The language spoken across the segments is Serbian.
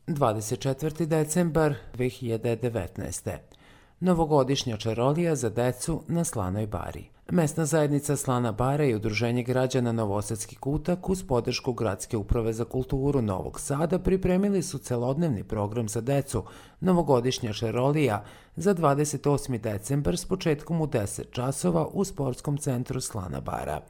24. decembar 2019. Novogodišnja čarolija za decu na Slanoj Bari. Mesna zajednica Slana Bara i Udruženje građana Novosadski kutak uz podršku Gradske uprave za kulturu Novog Sada pripremili su celodnevni program za decu Novogodišnja čarolija za 28. decembar s početkom u 10 časova u sportskom centru Slana Bara.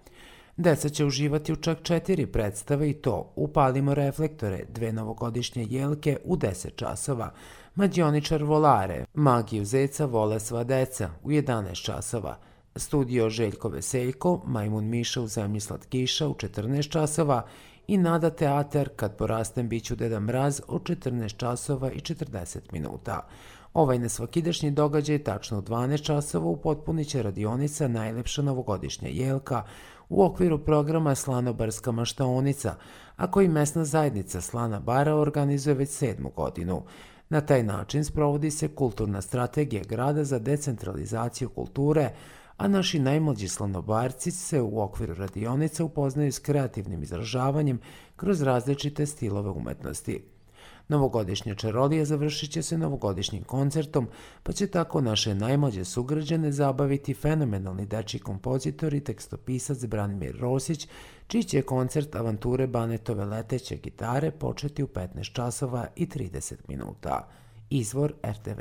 Deca će uživati u čak 4 predstave i to Upalimo reflektore, 2 novogodišnje jelke u 10 časova, Mađioničar Volare, Magiju zeca vole sva deca u 11 časova, Studio Željko Veseljko, Majmun Miša u zemlji slatkiša u 14 časova i Nada teatar Kad porastem biću Deda Mraz od 14 časova i 40 minuta. Ovaj nesvakidašnji događaj tačno u 12 časova upotpunit će radionica Najlepša novogodišnja jelka u okviru programa Slanobarska maštaonica, a koji mesna zajednica Slana Bara organizuje već 7. godinu. Na taj način sprovodi se kulturna strategija grada za decentralizaciju kulture, a naši najmlađi slanobarci se u okviru radionica upoznaju s kreativnim izražavanjem kroz različite stilove umetnosti. Novogodišnja čarolija završit će se novogodišnjim koncertom, pa će tako naše najmlađe sugrađane zabaviti fenomenalni dečji kompozitor i tekstopisac Branimir Rosić, čiji će koncert Avanture Banetove leteće gitare početi u 15 časova i 30 minuta. Izvor RTV.